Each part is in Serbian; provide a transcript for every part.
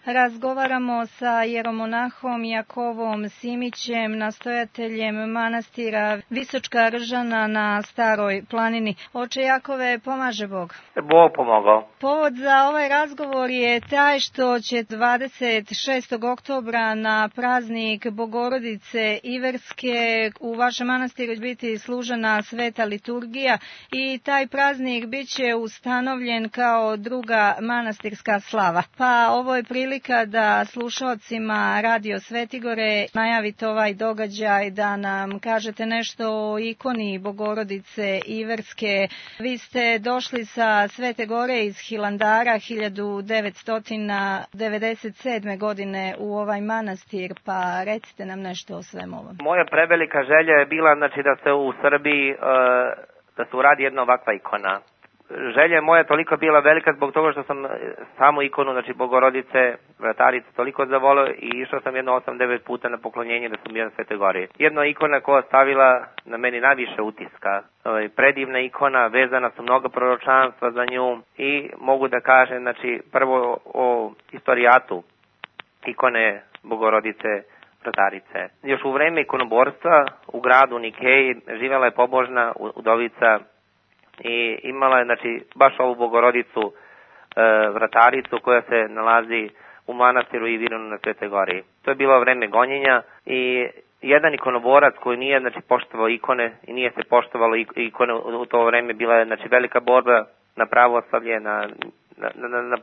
Razgovaramo sa jeromonahom Jakovom Simićem, nastojateljem manastira Visočka Ržana na Staroj planini. Oče Jakove, pomaže Bog. Bog pomogao. Povod za ovaj razgovor je taj što će 26. oktobra na praznik Bogorodice Iverske u vašem manastiru biti služena sveta liturgija i taj praznik bit će ustanovljen kao druga manastirska slava. Pa ovo je prilika da slušalcima Radio Svetigore najavite ovaj događaj, da nam kažete nešto o ikoni Bogorodice Iverske. Vi ste došli sa Svete Gore iz Hilandara 1997. godine u ovaj manastir, pa recite nam nešto o svemu ovom. Moja prevelika želja je bila da se u Srbiji da se uradi jedna ovakva ikona. Želja moja je toliko bila velika zbog toga što sam samu ikonu, Bogorodice, Vratarice, toliko zavolio i išao sam jedno 8-9 puta na poklonjenje da sam bio na Svetoj Gori. Jedna ikona koja stavila na meni najviše utiska. Predivna ikona, vezana su mnogo proročanstva za nju i mogu da kažem, prvo o istorijatu ikone Bogorodice Vratarice. Još u vreme ikonoborstva u gradu Nikeji živjela je pobožna udovica i imala je baš ovu Bogorodicu Vrataricu koja se nalazi u manastiru Ivironu na Svetoj Gori. To je bilo vreme gonjenja i jedan ikonoborac koji nije poštovao ikone i nije se poštovalo ikone u to vreme, bila je velika borba na pravoslavlje, na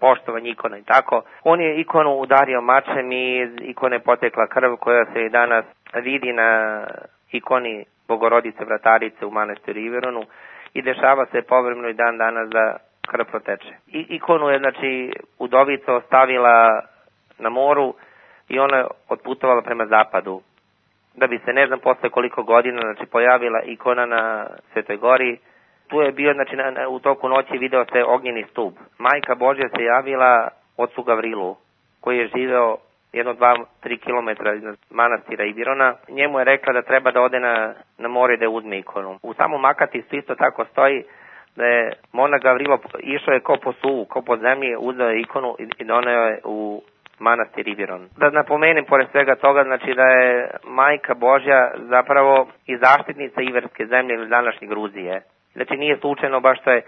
poštovanje ikona i tako. On je ikonu udario mačem i iz ikone potekla krv koja se i danas vidi na ikoni Bogorodice Vratarice u manastiru Ivironu. I dešava se povremeno i dan danas da krv proteče. Ikonu je, udovica ostavila na moru i ona je otputovala prema zapadu. Da bi se, ne znam posle koliko godina, pojavila ikona na Svetoj Gori. Tu je bio, u toku noći video se ognjeni stup. Majka Božja se javila ocu Gavrilu, koji je živeo 1-2-3 kilometra iznad manastira Ivirona. Njemu je rekla da treba da ode na more da uzme ikonu. U samom Makatistu isto tako stoji da je monah Gavrilo išao je ko po suvu, ko po zemlji, uzeo je ikonu i doneo je u manastir Iviron. Da napomenem pored svega toga, da je Majka Božja zapravo i zaštitnica Iverske zemlje ili današnje Gruzije. Nije slučajno baš što je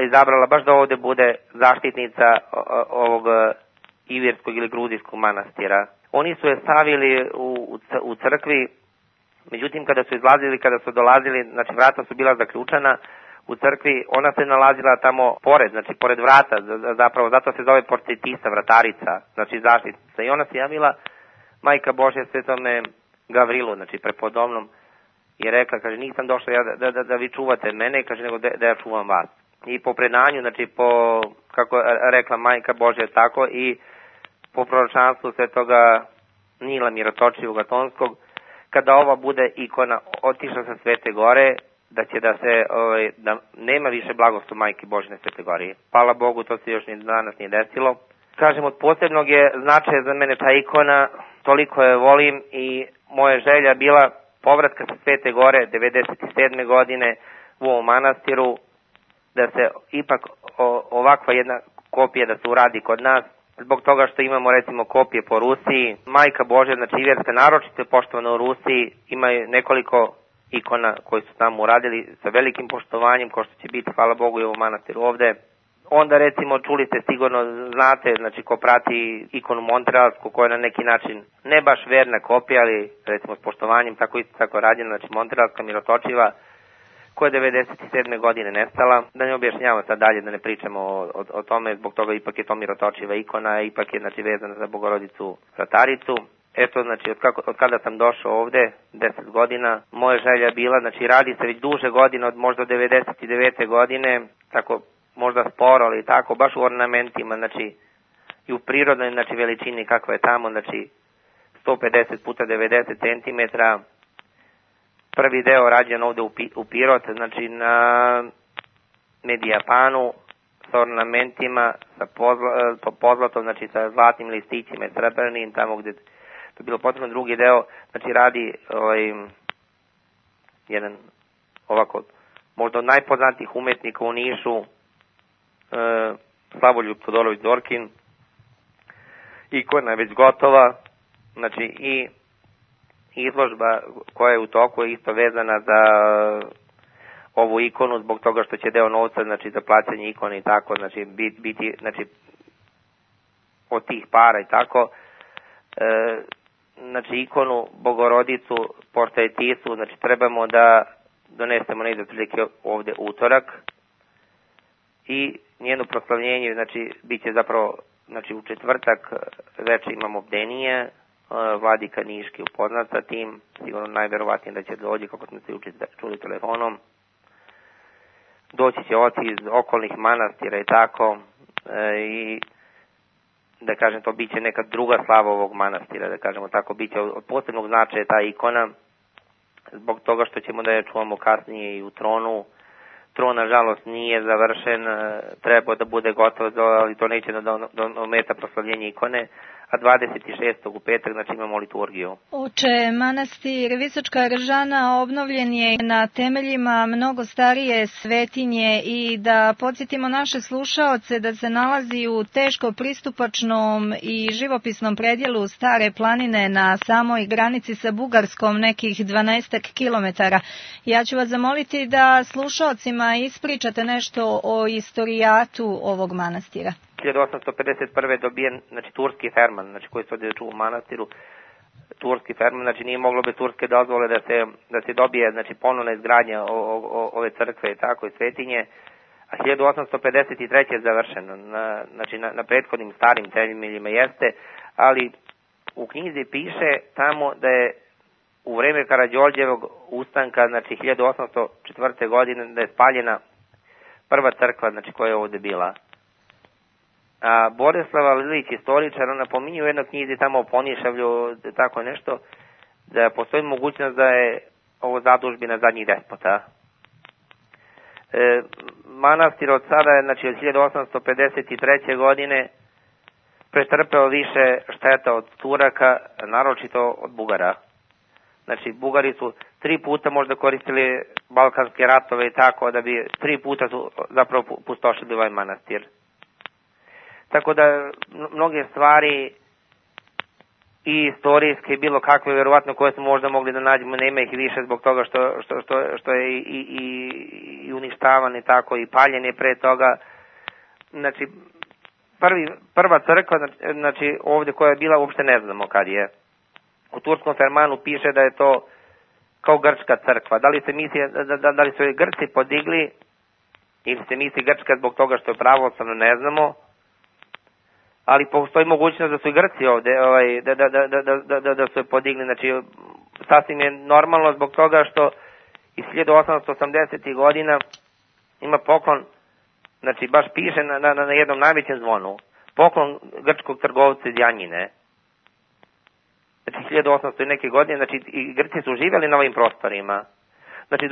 izabrala baš da ovde bude zaštitnica ovog Ivirskog ili Gruzijskog manastira. Oni su je stavili u crkvi, međutim kada su izlazili, kada su dolazili, vrata su bila zaključana u crkvi, ona se nalazila tamo pored vrata, zapravo zato se zove Porcetisa, vratarica, zaštitnica. I ona se javila, Majka Božja Svetome Gavrilu, prepodobnom, i rekla, kaže, nisam došla ja da vi čuvate mene, kaže, nego da ja čuvam vas. I po predanju, kako je rekla Majka Božja tako, i po proročanstvu Svetoga Nila Mirotočivog Atonskog, kada ova bude ikona otišla sa Svete Gore, da će da nema više blagoslova Majke Božje na Svete Gori. Hvala Bogu, to se još ni danas nije desilo. Kažem, od posebnog je značaja za mene ta ikona, toliko je volim i moja želja bila povratka sa Svete Gore 1997. godine u ovom manastiru, da se ipak ovakva jedna kopija da se uradi kod nas, zbog toga što imamo recimo kopije po Rusiji. Majka Božja, Iverska, naročito je poštovana u Rusiji, ima nekoliko ikona koji su tamo uradili sa velikim poštovanjem, ko što će biti, hvala Bogu, i u manastiru ovde. Onda recimo čuli ste, sigurno znate, ko prati ikonu Montrealsku, koja je na neki način ne baš verna kopija, ali recimo s poštovanjem tako rađena, Montrealska Mirotočiva, koja je 1997. godine nestala. Da ne objašnjavamo sad dalje, da ne pričamo o tome, zbog toga ipak je to Mirotočiva ikona, ipak je vezana za Bogorodicu Vrataricu. Eto, od kada sam došao ovde, 10 godina, moja želja je bila, radi se već duže godine, od možda 99. godine, tako možda sporo, ali tako, baš u ornamentima, i u prirodnoj, veličini kakva je tamo, 150 puta 90 cm. Prvi deo rađen ovde u Pirot, na Medijapanu, sa ornamentima, sa pozlatom, sa zlatnim listićima i srebrnim, tamo gde to je bilo potrebno. Drugi deo, radi jedan ovako, možda od najpoznatijih umetnika u Nišu, Slavoljub Todorović Zorkin. ikona je već gotova, znači i izložba koja je u toku je isto vezana za ovu ikonu zbog toga što će deo novca, znači za plaćanje ikone i tako, znači biti, znači od tih para i tako, znači ikonu Bogorodicu pošto je Tisu, znači trebamo da donesemo negdje otprilike ovdje utorak i njeno proslavljenje, znači bit će zapravo, znači u četvrtak večer imamo bdenije, vladika Niški upoznat sa tim, sigurno najverovatnije da će dođi, kako smo se čuli telefonom. Doći će oci iz okolnih manastira i tako, i da kažem, to bit će neka druga slava ovog manastira, da kažemo tako, bit će od posebnog značaja ta ikona, zbog toga što ćemo da je čuvamo kasnije i u tronu. Tron, nažalost, nije završen, treba da bude gotov, ali to neće da ometa proslavljenje ikone, a 26. u petak, znači imamo liturgiju. Oče, manastir Visočka Ržana obnovljen je na temeljima mnogo starije svetinje i da podsjetimo naše slušaoce da se nalazi u teško pristupačnom i živopisnom predjelu Stare planine na samoj granici sa Bugarskom, nekih 12 kilometara. Ja ću vas zamoliti da slušaocima ispričate nešto o istorijatu ovog manastira. 1851. dobijen, znači, turski ferman, znači, koji se ovdje čuva u manastiru, turski ferman, znači nije moglo bez turske dozvole da se dobije, znači, ponovna izgradnja ove crkve i tako i svetinje, a 1853. je završeno, znači na prethodnim starim temeljima jeste, ali u knjizi piše tamo da je u vreme Karađorđevog ustanka, znači 1804. godine, da je spaljena prva crkva, znači, koja je ovdje bila. A Borislava Lilić, istoričar, ona napominje u jednoj knjizi tamo o Ponišavlju, tako nešto, da postoji mogućnost da je ovo zadužbina zadnjih despota. Manastir od sada je, znači od 1853. godine pretrpeo više šteta od Turaka, naročito od Bugara. Znači, Bugari su 3 puta možda koristili balkanske ratove i tako, da bi 3 puta su zapravo pustošili ovaj manastir. Tako da mnoge stvari i istorijske, bilo kakve, vjerovatno, koje smo možda mogli da nađemo, nema ih više zbog toga što je i uništavan i tako, i paljen je pre toga. Znači, prva crkva, znači ovdje koja je bila, uopšte ne znamo kad je. U turskom fermanu piše da je to kao grčka crkva. Da li se misli, da li su je Grci podigli, ili se misli grčka zbog toga što je pravoslavno, ne znamo. Ali postoji mogućnost da su i Grci ovde, da su je podigli, znači sasvim je normalno zbog toga što iz 1880. godina ima poklon, znači baš piše na jednom najvećem zvonu, poklon grčkog trgovca iz Janjine. Znači 1800 i neke godine, znači i Grci su živjeli na ovim prostorima. Znači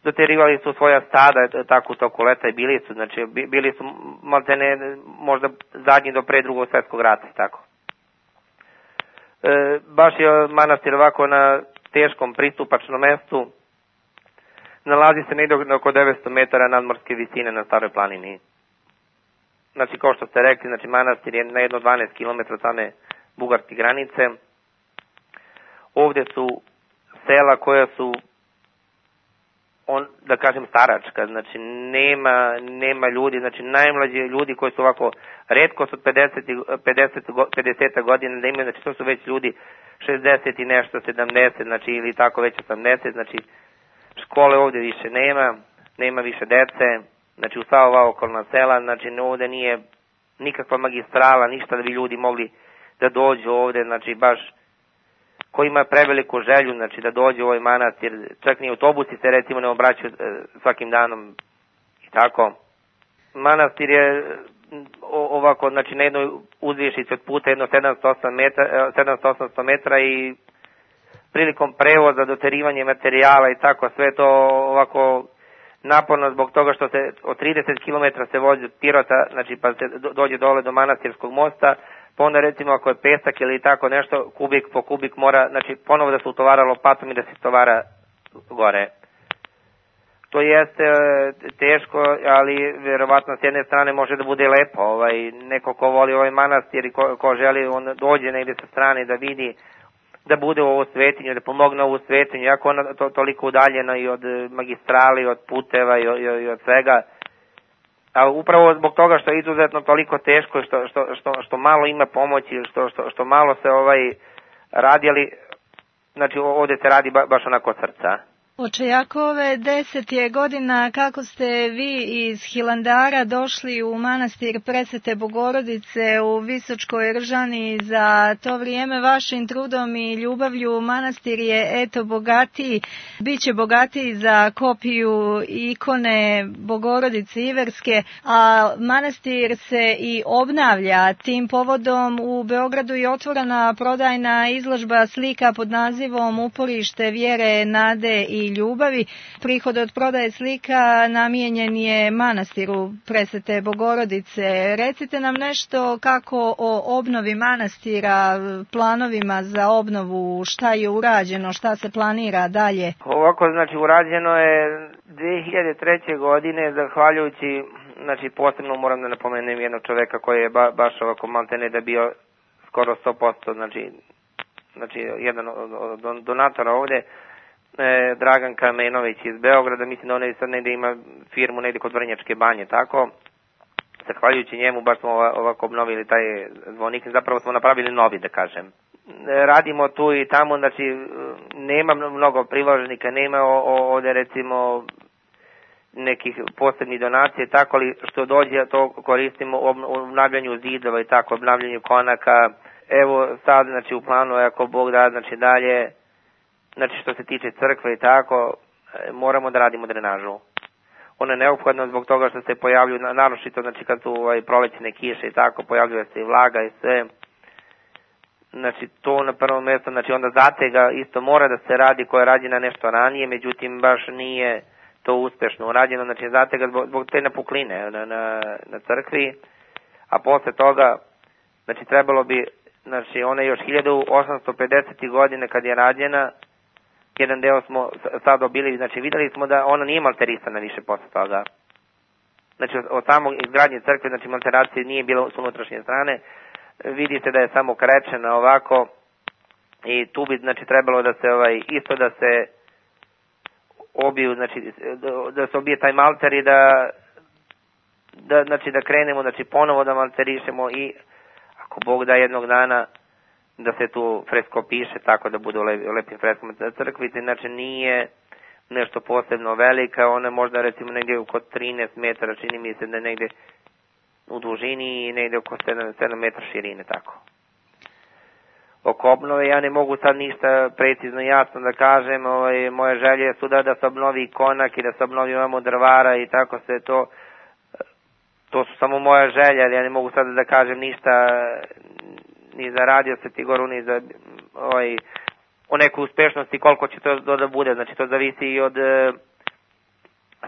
doterivali su svoja stada tako u toku leta i bili su maltene možda zadnji do pre Drugog svjetskog rata i tako. Baš je manastir ovako na teškom pristupačnom mestu, nalazi se negdje oko 900 metara nadmorske visine na Staroj planini. Znači, kao što ste rekli, znači manastir je na jedno 12 km od same bugarske granice. Ovdje su sela koja su, da kažem, staračka, znači nema ljudi, znači najmlađi ljudi koji su ovako retko su 50 godina da imaju, znači to su već ljudi 60 i nešto, 70, znači ili tako već 80, znači škole ovdje više nema više dece, znači u sva ova okolna sela, znači ovdje nije nikakva magistrala, ništa da bi ljudi mogli da dođu ovdje, znači baš ko ima preveliku želju, znači da dođe u ovaj manastir, čak ni autobusi se recimo ne obraćaju svakim danom i tako. Manastir je ovako, znači na jednoj uzvišici od puta jedno 700-800 metara i prilikom prevoza, doterivanje materijala i tako, sve to ovako naporno zbog toga što se od 30 km se vozi od Pirota, znači pa se dođe dole do manastirskog mosta, pa onda recimo ako je pesak ili tako nešto, kubik po kubik mora, znači ponovo da se utovara lopatom i da se tovara gore. To jeste teško, ali verovatno s jedne strane može da bude lepo. Neko ko voli ovaj manastir i ko želi, on dođe negde sa strane da vidi, da bude u ovu svetinju, da pomogne ovu svetinju, jako ona toliko udaljena i od magistrali, od puteva i od svega. A upravo zbog toga što je izuzetno toliko teško, što malo ima pomoći, što malo se radi, ali znači ovdje se radi baš onako od srca. Oče Jakove, 10 je godina kako ste vi iz Hilandara došli u manastir Presvete Bogorodice u Visočkoj Ržani. Za to vrijeme vašim trudom i ljubavlju manastir je eto bogatiji, bit će bogatiji za kopiju ikone Bogorodice Iverske, a manastir se i obnavlja. Tim povodom u Beogradu je otvorena prodajna izložba slika pod nazivom Uporište vjere, nade i ljubavi. Prihod od prodaje slika namijenjen je manastiru Presvete Bogorodice. Recite nam nešto kako o obnovi manastira, planovima za obnovu, šta je urađeno, šta se planira dalje. Ovako, znači urađeno je 2003. godine, zahvaljujući, znači posebno moram da napomenem jednog čoveka koji je baš ovako maltene da bio skoro 100%, znači jedan od donatora ovde, Dragan Kamenović iz Beograda, mislim da on sad negde ima firmu negde kod Vrnjačke banje, tako. Zahvaljujući njemu baš smo ovako obnovili taj zvonik, zapravo smo napravili novi, da kažem. Radimo tu i tamo, znači nema mnogo priloženika, nema ovde recimo nekih posebnih donacije, tako, ali što dođe to koristimo u obnavljanju zidova i tako, obnavljanju konaka. Evo sad, znači u planu, ako Bog da, znači dalje, znači što se tiče crkve i tako, moramo da radimo drenažu. Ona je neophodna zbog toga što se pojavljuju, naročito znači kad su prolećne kiše i tako, pojavljuje se i vlaga i sve. Znači to na prvom mjestu, znači onda zatega isto mora da se radi, koja je rađena nešto ranije, međutim baš nije to uspešno urađeno, znači zatega zbog te napukline na crkvi, a posle toga, znači trebalo bi, znači ona je još 1850. godine kad je rađena, jedan deo smo sad dobili, znači videli smo da ona nije malterisana više posle toga. Znači od samog izgradnje crkve, znači malteracije nije bilo s unutrašnje strane, vidi se da je samo krečena ovako i tu bi znači trebalo da se isto da se obiju, znači da se obije taj malter i da znači da krenemo, znači ponovo da malterišemo i ako Bog da jednog dana da se tu fresko piše tako da bude u lepim freskama crkvice, znači nije nešto posebno velika, ona je možda recimo negdje oko 13 metara, čini mi se da je negdje u dužini i negdje oko 7 metara širine, tako. Oko obnove ja ne mogu sad ništa precizno jasno da kažem, moje želje su da se obnovi konak i da se obnovi ovamo drvara i tako se to su samo moja želja, ali ja ne mogu sad da kažem ništa ni za Radio Sveti Goru, ni za o nekoj uspešnosti, koliko će to da bude, znači to zavisi i od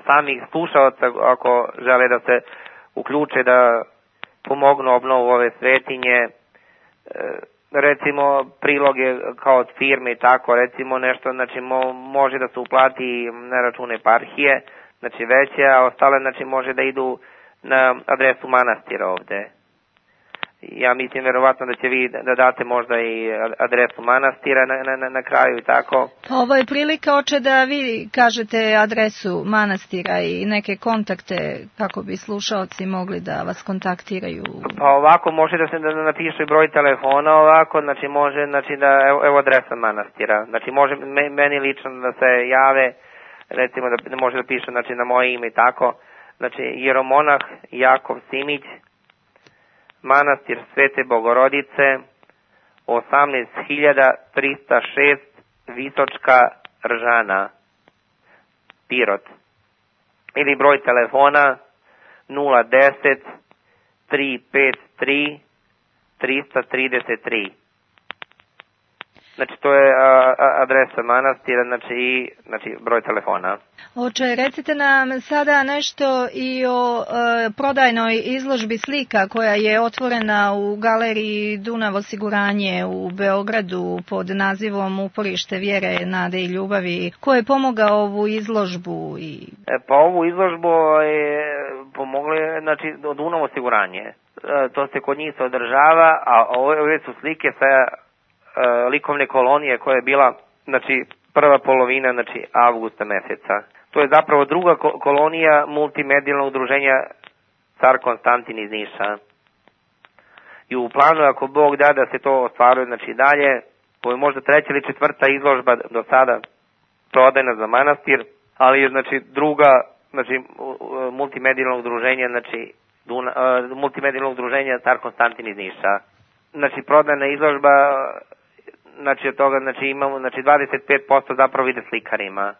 samih slušalaca ako žele da se uključe da pomognu obnovu ove svetinje, recimo priloge kao od firme i tako, recimo nešto, znači može da se uplati na račune eparhije, znači veće, a ostale znači može da idu na adresu manastira ovde. Ja mislim verovatno da će vi da date možda i adresu manastira na kraju i tako. Ovo je prilika, oče, da vi kažete adresu manastira i neke kontakte kako bi slušaoci mogli da vas kontaktiraju. Pa ovako može da se napiše broj telefona ovako, znači može, znači da evo adresa manastira. Znači može meni lično da se jave, recimo da može da piše znači na moje ime i tako. Znači jeromonah Jakov Simić, manastir Svete Bogorodice, 18.306 Visočka Ržana, Pirot. Ili broj telefona 010 353 333. Znači to je adresa manastira, znači broj telefona. Oče, recite nam sada nešto i o prodajnoj izložbi slika koja je otvorena u galeriji Dunav osiguranje u Beogradu pod nazivom Uporište vjere, nade i ljubavi. Ko je pomogao ovu izložbu? Pa ovu izložbu je pomogli, znači Dunav osiguranje. To se kod njih se održava, a ove su slike sa likovne kolonije koja je bila, znači prva polovina, znači avgusta meseca. To je zapravo druga kolonija multimedijalnog udruženja Car Konstantin iz Niša. I u planu, ako Bog da se to ostvaruje, znači dalje, to je možda treća ili četvrta izložba do sada prodajna za manastir, ali je znači druga, znači multimedijalnog udruženja, znači multimedijalnog udruženja Car Konstantin iz Niša. Znači prodajna izložba, znači od toga znači imamo znači 25% zapravo ide slikarima.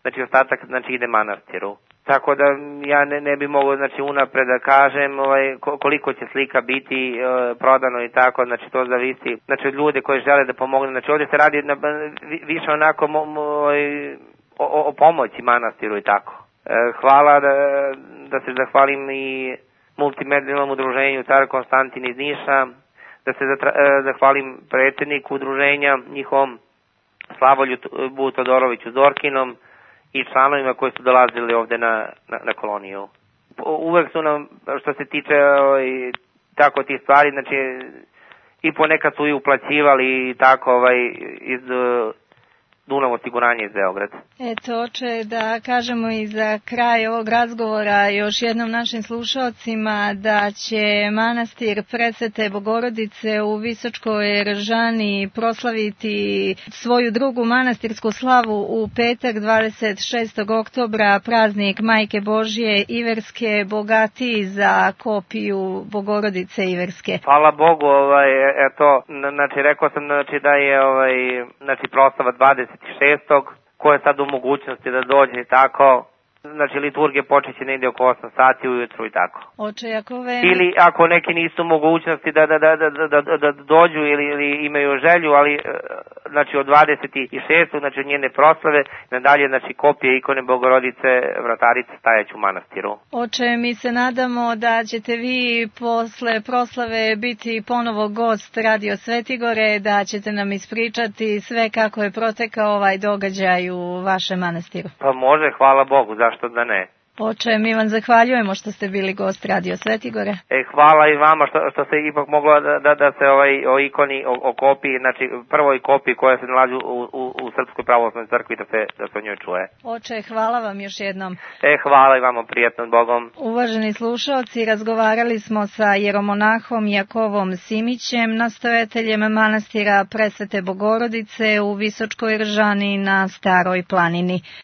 Znači ostatak znači ide manastiru. Tako da ja ne bi mogao znači unapred da kažem koliko će slika biti prodano i tako, znači to zavisi znači od ljude koji žele da pomognu. Znači ovdje se radi više onako o pomoći manastiru i tako. Hvala da se zahvalim i multimedijalnom udruženju Car Konstantin iz Niša, da se zahvalim predsjedniku udruženja njihovom Slavoljubu Todoroviću Zorkinom i članovima koji su dolazili ovdje na koloniju. Uvek su nam, što se tiče tako tih stvari, znači i ponekad su i uplaćivali i tako iz Dunav osiguranje iz Beograda. Eto, oče, da kažemo i za kraj ovog razgovora još jednom našim slušalcima da će manastir Presvete Bogorodice u Visočkoj Eržani proslaviti svoju drugu manastirsku slavu u petak 26. oktobra, praznik Majke Božje Iverske, bogatiji za kopiju Bogorodice Iverske. Hvala Bogu, eto, znači rekao sam znači da je znači proslava 26. ko je sad u mogućnosti da dođe i tako. Znači liturgija počeće negdje oko 8 sati ujutru i tako. Oče Jakove. Ili ako neki nisu mogućnosti da dođu ili imaju želju, ali znači od 26. znači njene proslave nadalje znači kopije ikone Bogorodice Vratarice stajaće u manastiru. Oče, mi se nadamo da ćete vi posle proslave biti ponovo gost Radio Svetigore, da ćete nam ispričati sve kako je protekao ovaj događaj u vašem manastiru. Pa može, hvala Bogu, zašto da ne. Oče, mi vam zahvaljujemo što ste bili gost Radio Svetigore. Hvala i vama što se ipak moglo da se o ikoni, o kopiji, znači prvoj kopiji koja se nalazi u Srpskoj pravoslavnoj crkvi da se o njoj čuje. Oče, hvala vam još jednom. Hvala i vama, prijatno, Bogom. Uvaženi slušalci, razgovarali smo sa jeromonahom Jakovom Simićem, nastojateljem manastira Presvete Bogorodice u Visočkoj Eržani na Staroj planini.